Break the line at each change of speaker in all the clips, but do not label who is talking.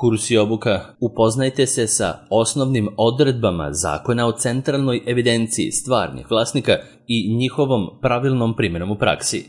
Kurs i obuka. Upoznajte se sa osnovnim odredbama Zakona o centralnoj evidenciji stvarnih vlasnika i njihovom pravilnom primjenom u praksi.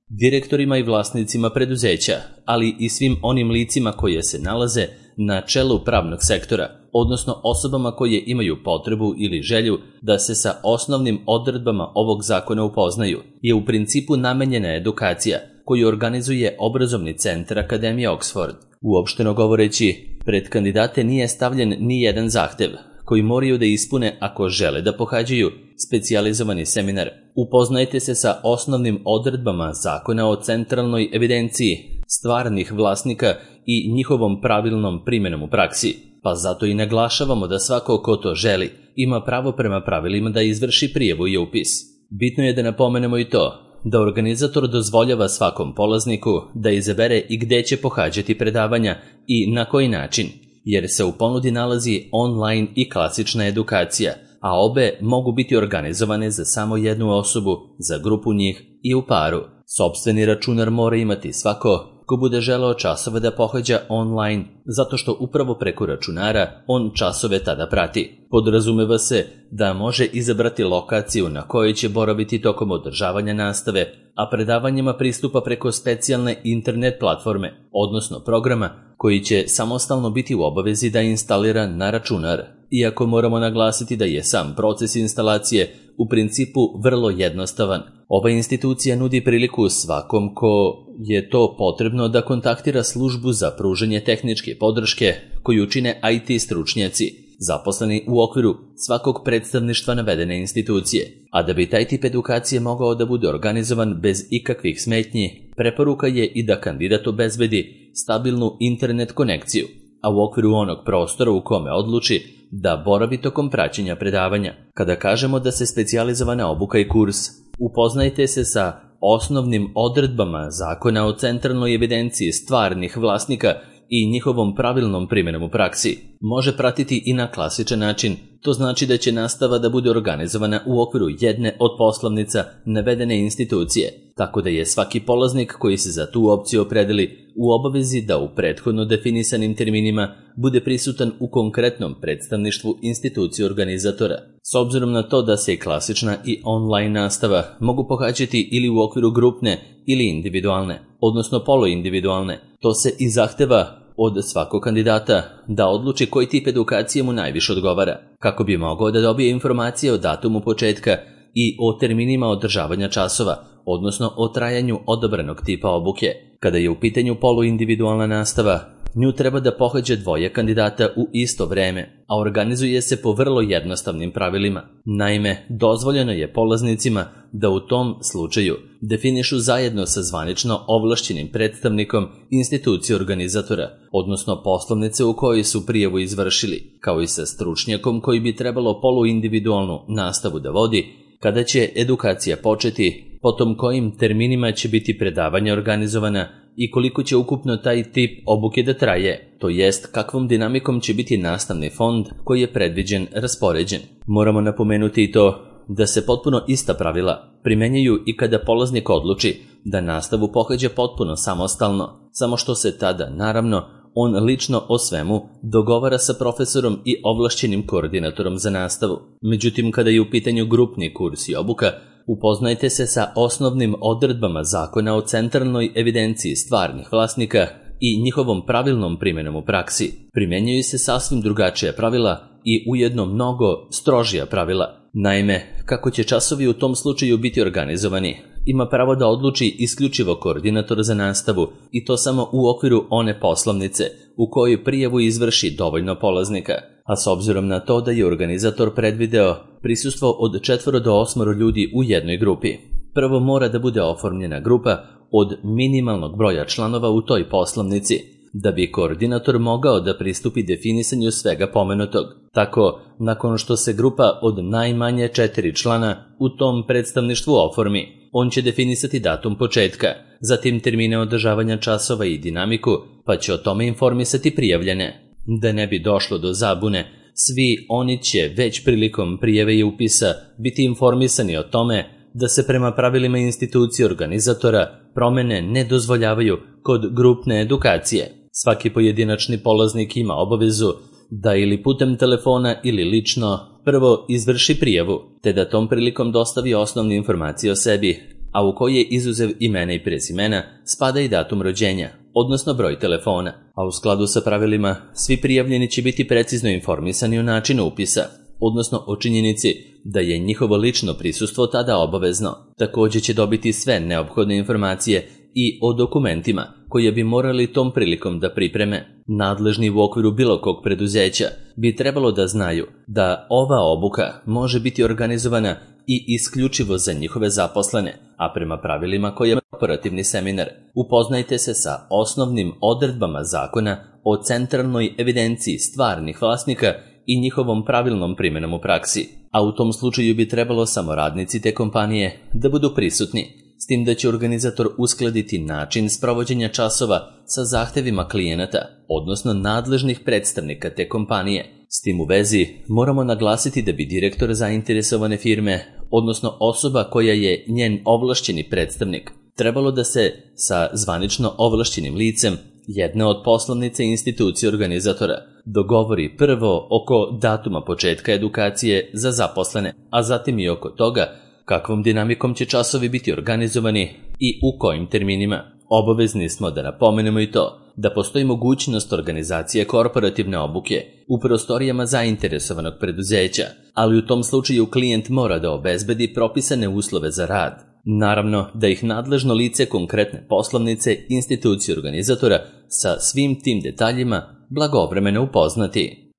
Direktorima i vlasnicima preduzeća, ali i svim onim licima koje se nalaze na čelu pravnog sektora, odnosno osobama koje imaju potrebu ili želju da se sa osnovnim odredbama ovog zakona upoznaju, je u principu namenjena edukacija koju organizuje obrazovni centar Akademije Oxford. Uopšteno govoreći, pred kandidate nije stavljen ni jedan zahtev koji moraju da ispune ako žele da pohađaju specijalizovani seminar. Upoznajte se sa osnovnim odredbama Zakona o centralnoj evidenciji stvarnih vlasnika i njihovom pravilnom primjenom u praksi. Pa zato i naglašavamo da svako ko to želi ima pravo prema pravilima da izvrši prijavu i upis. Bitno je da napomenemo i to da organizator dozvoljava svakom polazniku da izabere i gde će pohađati predavanja i na koji način, jer se u ponudi nalazi online i klasična edukacija, a obe mogu biti organizovane za samo jednu osobu, za grupu njih i u paru. Sopstveni računar mora imati svako ko bude želeo časove da pohađa online, zato što upravo preko računara on časove tada prati. Podrazumeva se da može izabrati lokaciju na kojoj će boraviti tokom održavanja nastave, a predavanjima pristupa preko specijalne internet platforme, odnosno programa koji će samostalno biti u obavezi da instalira na računar. Iako moramo naglasiti da je sam proces instalacije u principu vrlo jednostavan, ova institucija nudi priliku svakom ko je to potrebno da kontaktira službu za pružanje tehničke podrške koju čine IT stručnjaci, zaposleni u okviru svakog predstavništva navedene institucije. A da bi taj tip edukacije mogao da bude organizovan bez ikakvih smetnji, preporuka je i da kandidat obezbedi stabilnu internet konekciju, a u okviru onog prostora u kome odluči da boravi tokom praćenja predavanja. Kada kažemo da se specijalizovana obuka i kurs upoznajte se sa osnovnim odredbama Zakona o centralnoj evidenciji stvarnih vlasnika i njihovom pravilnom primjenom u praksi može pratiti i na klasičan način. To znači da će nastava da bude organizovana u okviru jedne od poslovnica navedene institucije, tako da je svaki polaznik koji se za tu opciju opredeli u obavezi da u prethodno definisanim terminima bude prisutan u konkretnom predstavništvu institucije organizatora. S obzirom na to da se i klasična i online nastava mogu pohađati ili u okviru grupne ili individualne, odnosno poluindividualne, to se i zahteva od svakog kandidata da odluči koji tip edukacije mu najviše odgovara, kako bi mogao da dobije informacije o datumu početka i o terminima održavanja časova, odnosno o trajanju odabranog tipa obuke. Kada je u pitanju poluindividualna nastava, nju treba da pohađa dvoje kandidata u isto vreme, a organizuje se po vrlo jednostavnim pravilima. Naime, dozvoljeno je polaznicima da u tom slučaju definišu zajedno sa zvanično ovlašćenim predstavnikom institucije organizatora, odnosno poslovnice u kojoj su prijavu izvršili, kao i sa stručnjakom koji bi trebalo poluindividualnu nastavu da vodi, kada će edukacija početi, potom kojim terminima će biti predavanja organizovana i koliko će ukupno taj tip obuke da traje, to jest kakvom dinamikom će biti nastavni fond koji je predviđen raspoređen. Moramo napomenuti i to da se potpuno ista pravila primenjuju i kada polaznik odluči da nastavu pohađa potpuno samostalno, samo što se tada, naravno, on lično o svemu dogovara sa profesorom i ovlašćenim koordinatorom za nastavu. Međutim, kada je u pitanju grupni kurs i obuka, upoznajte se sa osnovnim odredbama Zakona o centralnoj evidenciji stvarnih vlasnika i njihovom pravilnom primjenom u praksi. Primjenjuju se sasvim drugačija pravila i ujedno mnogo strožija pravila. Naime, kako će časovi u tom slučaju biti organizovani, ima pravo da odluči isključivo koordinator za nastavu i to samo u okviru one poslovnice u kojoj prijavu izvrši dovoljno polaznika. A s obzirom na to da je organizator predvideo prisustvo od 4 do 8 ljudi u jednoj grupi, prvo mora da bude oformljena grupa od minimalnog broja članova u toj poslovnici, da bi koordinator mogao da pristupi definisanju svega pomenutog. Tako, nakon što se grupa od najmanje 4 člana u tom predstavništvu oformi, on će definisati datum početka, zatim termine održavanja časova i dinamiku, pa će o tome informisati prijavljene. Da ne bi došlo do zabune, svi oni će već prilikom prijave i upisa biti informisani o tome da se prema pravilima institucije organizatora promene ne dozvoljavaju kod grupne edukacije. Svaki pojedinačni polaznik ima obavezu da ili putem telefona ili lično prvo izvrši prijavu, te da tom prilikom dostavi osnovne informacije o sebi, a u koje izuzev imena i prezimena spada i datum rođenja, odnosno broj telefona, a u skladu sa pravilima svi prijavljeni će biti precizno informisani o načinu upisa, odnosno o činjenici da je njihovo lično prisustvo tada obavezno. Također će dobiti sve neophodne informacije i o dokumentima koje bi morali tom prilikom da pripreme. Nadležni u okviru bilo kog preduzeća bi trebalo da znaju da ova obuka može biti organizovana i isključivo za njihove zaposlene, a prema pravilima koje je operativni seminar. Upoznajte se sa osnovnim odredbama zakona o centralnoj evidenciji stvarnih vlasnika i njihovom pravilnom primjenom u praksi, a u tom slučaju bi trebalo samo radnici te kompanije da budu prisutni, s tim da će organizator uskladiti način sprovođenja časova sa zahtevima klijenata, odnosno nadležnih predstavnika te kompanije. S tim u vezi moramo naglasiti da bi direktor zainteresovane firme, odnosno osoba koja je njen ovlašćeni predstavnik, trebalo da se sa zvanično ovlašćenim licem jedne od poslovnice institucije organizatora dogovori prvo oko datuma početka edukacije za zaposlene, a zatim i oko toga kakvom dinamikom će časovi biti organizovani i u kojim terminima. Obavezni smo da napomenemo i to da postoji mogućnost organizacije korporativne obuke u prostorijama zainteresovanog preduzeća, ali u tom slučaju klijent mora da obezbedi propisane uslove za rad. Naravno da ih nadležno lice konkretne poslovnice institucije organizatora sa svim tim detaljima blagovremeno upoznati.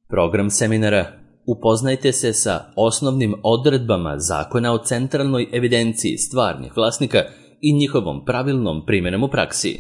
Program seminara: upoznajte se sa osnovnim odredbama zakona o centralnoj evidenciji stvarnih vlasnika i njihovom pravilnom primjenom u praksi.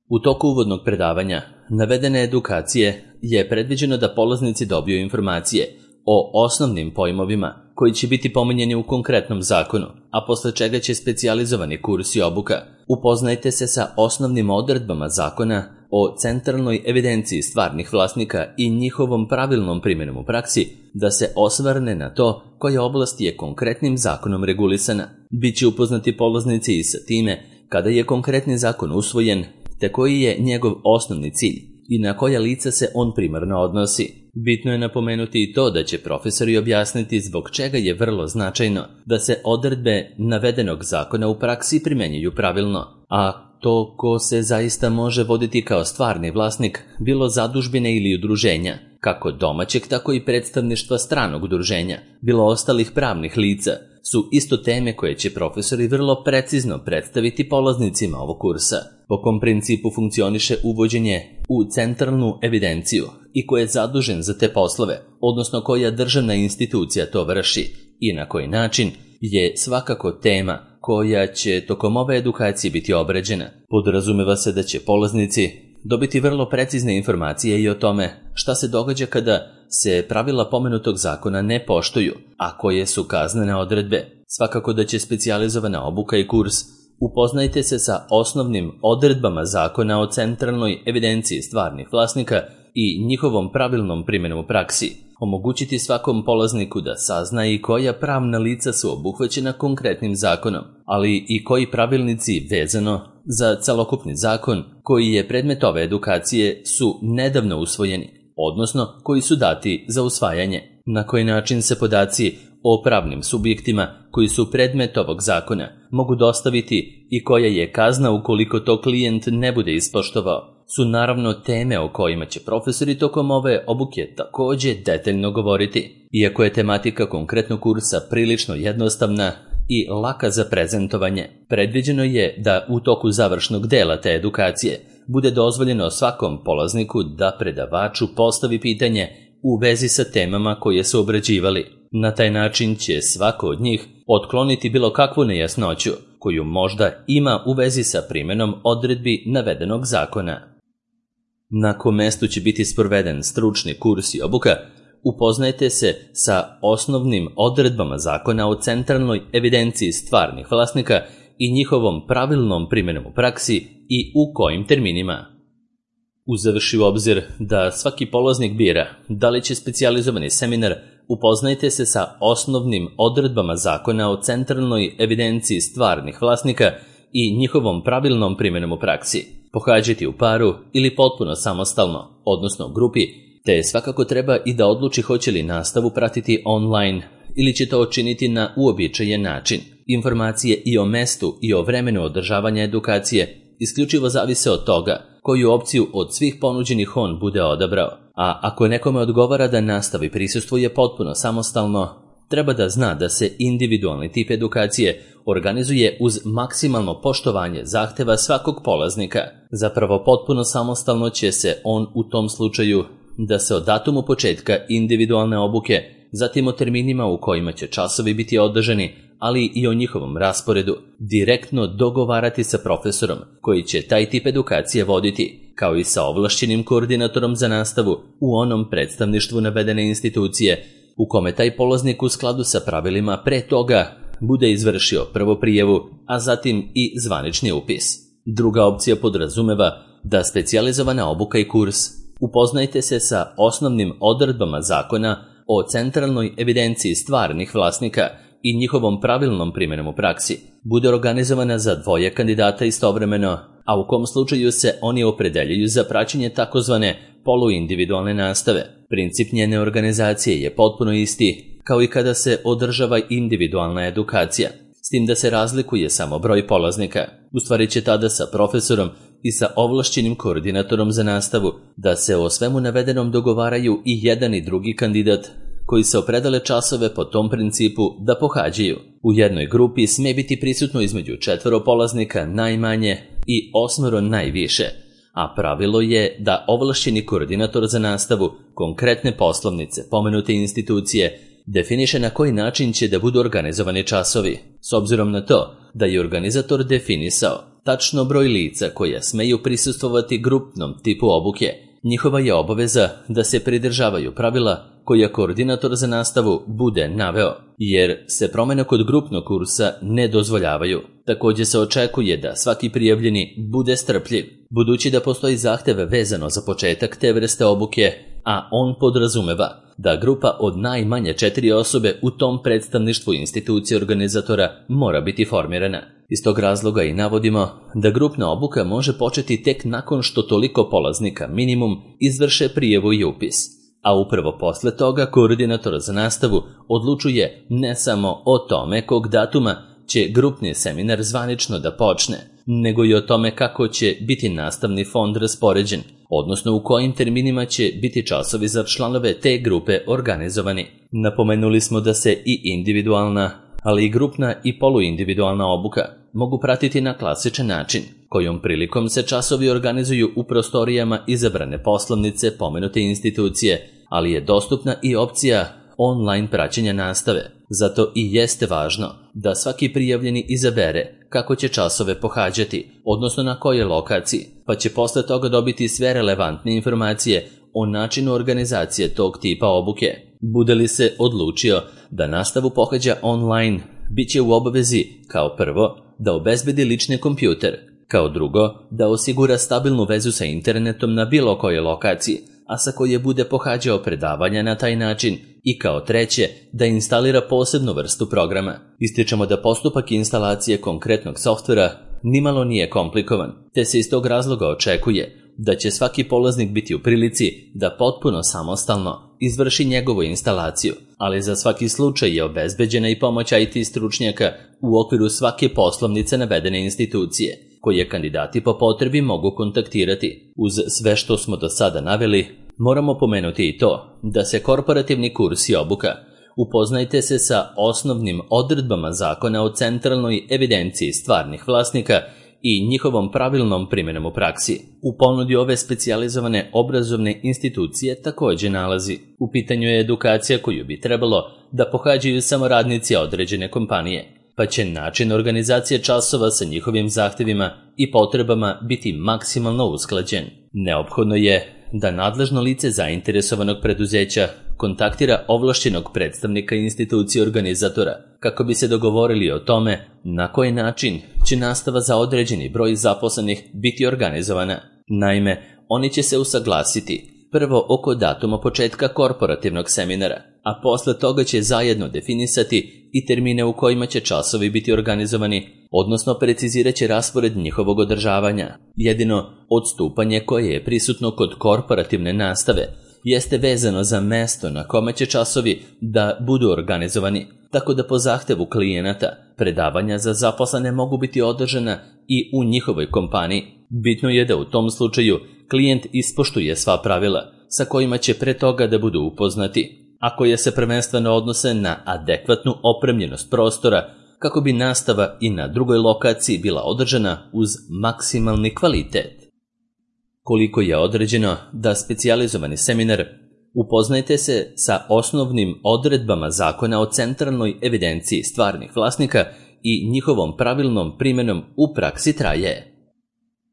U toku uvodnog predavanja navedene edukacije je predviđeno da polaznici dobiju informacije o osnovnim pojmovima koji će biti pominjeni u konkretnom zakonu, a posle čega će specijalizovani kurs i obuka. Upoznajte se sa osnovnim odredbama zakona o centralnoj evidenciji stvarnih vlasnika i njihovom pravilnom primjenom u praksi, da se osvrne na to koja oblast je konkretnim zakonom regulisana. Biće upoznati polaznici i sa time kada je konkretni zakon usvojen, te koji je njegov osnovni cilj i na koja lica se on primarno odnosi. Bitno je napomenuti i to da će profesori objasniti zbog čega je vrlo značajno da se odredbe navedenog zakona u praksi primenjuju pravilno, a to ko se zaista može voditi kao stvarni vlasnik, bilo zadužbine ili udruženja, kako domaćeg tako i predstavništva stranog udruženja, bilo ostalih pravnih lica, su isto teme koje će profesori vrlo precizno predstaviti polaznicima ovog kursa. Po kom principu funkcioniše uvođenje u centralnu evidenciju i ko je zadužen za te poslove, odnosno koja državna institucija to vrši i na koji način, je svakako tema koja će tokom ove edukacije biti obrađena. Podrazumeva se da će polaznici dobiti vrlo precizne informacije i o tome šta se događa kada se pravila pomenutog zakona ne poštuju, a koje su kaznene odredbe. Svakako da će specijalizovana obuka i kurs upoznajte se sa osnovnim odredbama zakona o centralnoj evidenciji stvarnih vlasnika i njihovom pravilnom primjenom u praksi omogućiti svakom polazniku da sazna i koja pravna lica su obuhvaćena konkretnim zakonom, ali i koji pravilnici vezano za celokupni zakon koji je predmet ove edukacije su nedavno usvojeni, odnosno koji su dati za usvajanje, na koji način se podaci o pravnim subjektima koji su predmet ovog zakona mogu dostaviti i koja je kazna ukoliko to klijent ne bude ispoštovao, su naravno teme o kojima će profesori tokom ove obuke također detaljno govoriti. Iako je tematika konkretnog kursa prilično jednostavna i laka za prezentovanje, predviđeno je da u toku završnog dela te edukacije bude dozvoljeno svakom polazniku da predavaču postavi pitanje u vezi sa temama koje su obrađivali. Na taj način će svako od njih otkloniti bilo kakvu nejasnoću koju možda ima u vezi sa primjenom odredbi navedenog zakona. Na kom mestu će biti sproveden stručni kurs i obuka, upoznajte se sa osnovnim odredbama zakona o centralnoj evidenciji stvarnih vlasnika i njihovom pravilnom primjenom u praksi i u kojim terminima. Uzevši u obzir da svaki polaznik bira da li će specijalizovani seminar upoznajte se sa osnovnim odredbama zakona o centralnoj evidenciji stvarnih vlasnika i njihovom pravilnom primjenom u praksi pohađati u paru ili potpuno samostalno, odnosno u grupi, te svakako treba i da odluči hoće li nastavu pratiti online ili će to učiniti na uobičajen način. Informacije i o mestu i o vremenu održavanja edukacije isključivo zavise od toga koju opciju od svih ponuđenih on bude odabrao. A ako nekome odgovara da nastavi prisustvuje potpuno samostalno, treba da zna da se individualni tip edukacije organizuje uz maksimalno poštovanje zahteva svakog polaznika. Zapravo potpuno samostalno će se on u tom slučaju da se o datumu početka individualne obuke, zatim o terminima u kojima će časovi biti održani, ali i o njihovom rasporedu, direktno dogovarati sa profesorom koji će taj tip edukacije voditi, kao i sa ovlašćenim koordinatorom za nastavu u onom predstavništvu navedene institucije, u kome taj polaznik u skladu sa pravilima pre toga bude izvršio prvo prijavu, a zatim i zvanični upis. Druga opcija podrazumeva da specijalizovana obuka i kurs upoznajte se sa osnovnim odredbama zakona o centralnoj evidenciji stvarnih vlasnika i njihovom pravilnom primjenom u praksi bude organizovana za dvoje kandidata istovremeno, a u kom slučaju se oni opredeljuju za praćenje takozvane poluindividualne nastave. Princip njene organizacije je potpuno isti kao i kada se održava individualna edukacija, s tim da se razlikuje samo broj polaznika. U stvari će tada sa profesorom i sa ovlašćenim koordinatorom za nastavu da se o svemu navedenom dogovaraju i jedan i drugi kandidat koji se opredele časove po tom principu da pohađaju. U jednoj grupi sme biti prisutno između 4 polaznika najmanje i 8 najviše, a pravilo je da ovlašćeni koordinator za nastavu konkretne poslovnice pomenute institucije definiše na koji način će da budu organizovani časovi, s obzirom na to da je organizator definisao tačno broj lica koja smeju prisustvovati grupnom tipu obuke. Njihova je obaveza da se pridržavaju pravila koja koordinator za nastavu bude naveo, jer se promjene kod grupnog kursa ne dozvoljavaju. Također se očekuje da svaki prijavljeni bude strpljiv, budući da postoji zahtev vezano za početak te vrste obuke, a on podrazumeva da grupa od najmanje 4 osobe u tom predstavništvu institucije organizatora mora biti formirana. Iz tog razloga i navodimo da grupna obuka može početi tek nakon što toliko polaznika minimum izvrše prijavu i upis, a upravo posle toga koordinator za nastavu odlučuje ne samo o tome kog datuma će grupni seminar zvanično da počne, nego i o tome kako će biti nastavni fond raspoređen, odnosno u kojim terminima će biti časovi za članove te grupe organizovani. Napomenuli smo da se i individualna, ali i grupna i poluindividualna obuka mogu pratiti na klasičan način, kojom prilikom se časovi organizuju u prostorijama izabrane poslovnice pomenute institucije, ali je dostupna i opcija online praćenja nastave. Zato i jeste važno da svaki prijavljeni izabere kako će časove pohađati, odnosno na kojoj lokaciji, pa će posle toga dobiti sve relevantne informacije o načinu organizacije tog tipa obuke. Bude li se odlučio da nastavu pohađa online, bit će u obavezi kao prvo da obezbedi lični kompjuter, kao drugo da osigura stabilnu vezu sa internetom na bilo kojoj lokaciji, a sa koje bude pohađao predavanja na taj način, i kao treće da instalira posebnu vrstu programa. Ističemo da postupak instalacije konkretnog softvera nimalo nije komplikovan, te se iz tog razloga očekuje da će svaki polaznik biti u prilici da potpuno samostalno izvrši njegovu instalaciju, ali za svaki slučaj je obezbeđena i pomoć IT stručnjaka u okviru svake poslovnice navedene institucije, koje kandidati po potrebi mogu kontaktirati. Uz sve što smo do sada naveli, moramo pomenuti i to da se korporativni kurs i obuka upoznajte se sa osnovnim odredbama zakona o centralnoj evidenciji stvarnih vlasnika i njihovom pravilnom primjenom u praksi. U ponudi ove specijalizovane obrazovne institucije također nalazi. U pitanju je edukacija koju bi trebalo da pohađaju samo radnici određene kompanije, pa će način organizacije časova sa njihovim zahtevima i potrebama biti maksimalno usklađen. Neophodno je da nadležno lice zainteresovanog preduzeća kontaktira ovlašćenog predstavnika institucije organizatora kako bi se dogovorili o tome na koji način će nastava za određeni broj zaposlenih biti organizovana. Naime, oni će se usaglasiti prvo oko datuma početka korporativnog seminara, a posle toga će zajedno definisati i termine u kojima će časovi biti organizovani, odnosno precizirat će raspored njihovog održavanja. Jedino odstupanje koje je prisutno kod korporativne nastave jeste vezano za mesto na kome će časovi da budu organizovani, tako da po zahtevu klijenata predavanja za zaposlene mogu biti održana i u njihovoj kompaniji. Bitno je da u tom slučaju klijent ispoštuje sva pravila sa kojima će pre toga da budu upoznati, a koje se prvenstveno odnose na adekvatnu opremljenost prostora kako bi nastava i na drugoj lokaciji bila održana uz maksimalni kvalitet. Koliko je određeno da specijalizovani seminar upoznajte se sa osnovnim odredbama Zakona o centralnoj evidenciji stvarnih vlasnika i njihovom pravilnom primenom u praksi traje.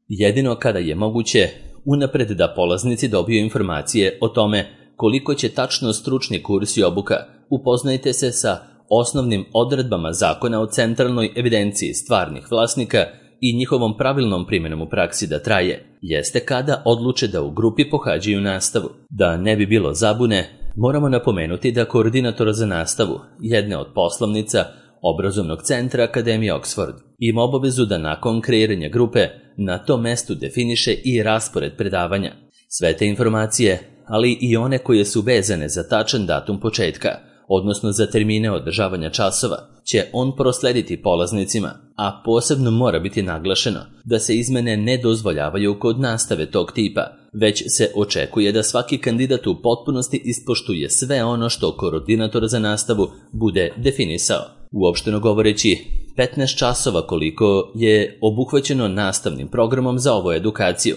Jedino kada je moguće unapred da polaznici dobiju informacije o tome koliko će tačno stručni kurs i obuka, upoznajte se sa osnovnim odredbama Zakona o centralnoj evidenciji stvarnih vlasnika i njihovom pravilnom primjenom u praksi da traje, jeste kada odluče da u grupi pohađaju nastavu. Da ne bi bilo zabune, moramo napomenuti da koordinator za nastavu jedne od poslovnica obrazovnog centra Akademije Oxford ima obavezu da nakon kreiranja grupe na tom mestu definiše i raspored predavanja. Sve te informacije, ali i one koje su vezane za tačan datum početka, odnosno za termine održavanja časova, će on proslediti polaznicima, a posebno mora biti naglašeno da se izmene ne dozvoljavaju kod nastave tog tipa, već se očekuje da svaki kandidat u potpunosti ispoštuje sve ono što koordinator za nastavu bude definisao. Uopšteno govoreći, 15 časova koliko je obuhvaćeno nastavnim programom za ovu edukaciju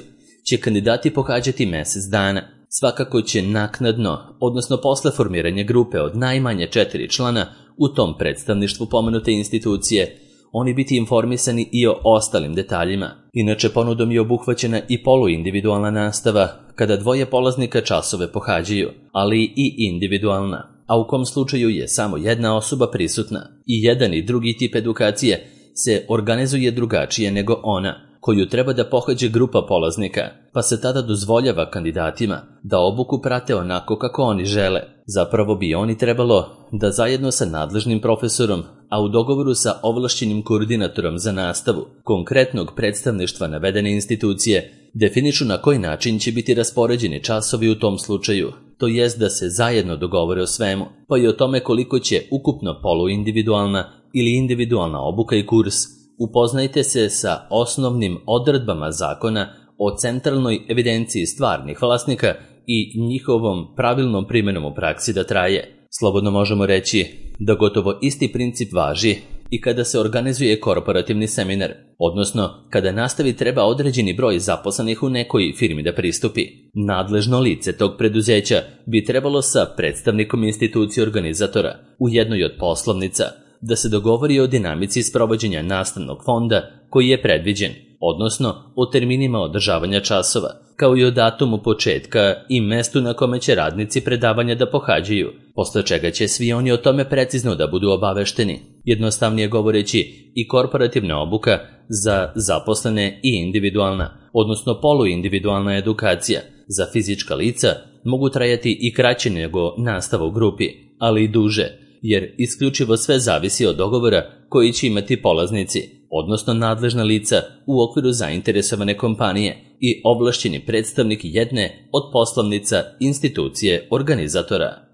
će kandidati pohađati mjesec dana. Svakako će naknadno, odnosno posle formiranja grupe od najmanje 4 člana u tom predstavništvu pomenute institucije, oni biti informisani i o ostalim detaljima. Inače, ponudom je obuhvaćena i poluindividualna nastava, kada dvoje polaznika časove pohađaju, ali i individualna, a u kom slučaju je samo jedna osoba prisutna. I jedan i drugi tip edukacije se organizuje drugačije nego ona koju treba da pohađe grupa polaznika, pa se tada dozvoljava kandidatima da obuku prate onako kako oni žele. Zapravo bi oni trebalo da zajedno sa nadležnim profesorom, a u dogovoru sa ovlašćenim koordinatorom za nastavu konkretnog predstavništva navedene institucije, definišu na koji način će biti raspoređeni časovi u tom slučaju, to jest da se zajedno dogovore o svemu, pa i o tome koliko će ukupno poluindividualna ili individualna obuka i kurs. Upoznajte se sa osnovnim odredbama Zakona o centralnoj evidenciji stvarnih vlasnika i njihovom pravilnom primjenom u praksi da traje. Slobodno možemo reći da gotovo isti princip važi i kada se organizuje korporativni seminar, odnosno kada nastavi treba određeni broj zaposlenih u nekoj firmi da pristupi. Nadležno lice tog preduzeća bi trebalo sa predstavnikom institucije organizatora u jednoj od poslovnica da se dogovori o dinamici sprovođenja nastavnog fonda koji je predviđen, odnosno o terminima održavanja časova, kao i o datumu početka i mestu na kome će radnici predavanja da pohađaju, posle čega će svi oni o tome precizno da budu obavešteni. Jednostavnije govoreći, i korporativna obuka za zaposlene i individualna, odnosno poluindividualna edukacija za fizička lica mogu trajati i kraće nego nastava u grupi, ali i duže, jer isključivo sve zavisi od dogovora koji će imati polaznici, odnosno nadležna lica u okviru zainteresovane kompanije i ovlašćeni predstavnik jedne od poslovnica institucije organizatora.